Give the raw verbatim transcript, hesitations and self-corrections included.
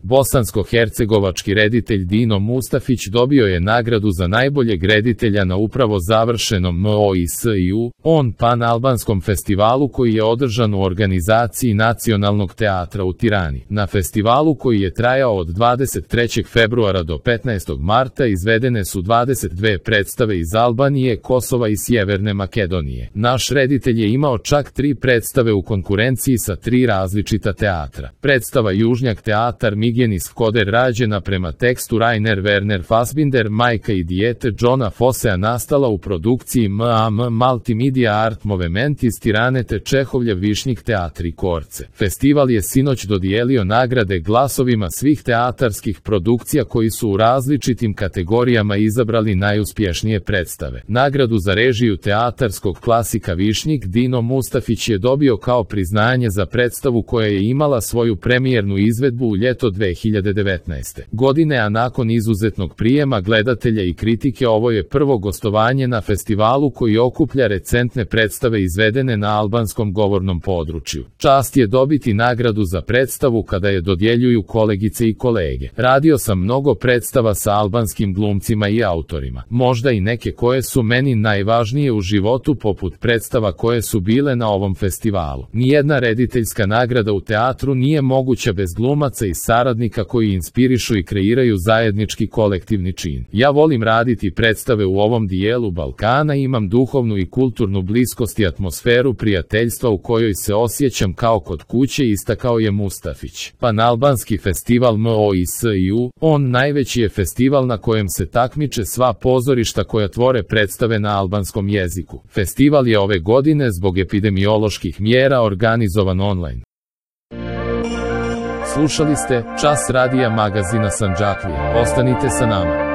Bosansko-hercegovački reditelj Dino Mustafić dobio je nagradu za najboljeg reditelja na upravo završenom M O I S I U, on pan-albanskom festivalu koji je održan u organizaciji Nacionalnog teatra u Tirani. Na festivalu koji je trajao od dvadeset trećeg februara do petnaestog marta izvedene su dvadeset dve predstave iz Albanije, Kosova i Sjeverne Makedonije. Naš reditelj je imao čak tri predstave u konkurenciji sa tri različita teatra. Predstava Južnjak teatar Migenis Koder rađena prema tekstu Rainer Werner Fassbinder, Majka i dijete Johna Fossea nastala u produkciji M A M Multimedia Art Movement iz Tirane te Čehovljev Višnjik teatri Korce. Festival je sinoć dodijelio nagrade glasovima svih teatarskih produkcija koji su u različitim kategorijama izabrali najuspješnije predstave. Nagradu za režiju teatarskog klasika Višnjik Dino Mustafić je dobio kao priznanje za predstavu koja je imala svoju premijernu izvedbu u ljeto dve hiljade devetnaeste. godine, a nakon izuzetnog prijema gledatelja i kritike ovo je prvo gostovanje na festivalu koji okuplja recentne predstave izvedene na albanskom govornom području. Čast je dobiti nagradu za predstavu kada je dodjeljuju kolegice i kolege. Radio sam mnogo predstava sa albanskim glumcima i autorima. Možda i neke koje su meni najvažnije u životu poput predstava koje su bile na ovom festivalu. Nijedna rediteljska nagrada u teatru nije moguća bez glumaca i saradnika koji inspirišu i kreiraju zajednički kolektivni čin. Ja volim raditi predstave u ovom dijelu Balkana i imam duhovnu i kulturnu bliskost i atmosferu prijateljstva u kojoj se osjećam kao kod kuće, istakao je Mustafić. Panalbanski festival M O I S I U, on najveći je festival na kojem se takmiče sva pozorišta koja tvore predstave na albanskom jeziku. Festival je ove godine zbog epidemioloških mjera organizovan online. Slušali ste Čas radija magazina Sandžaklija. Ostanite sa nama.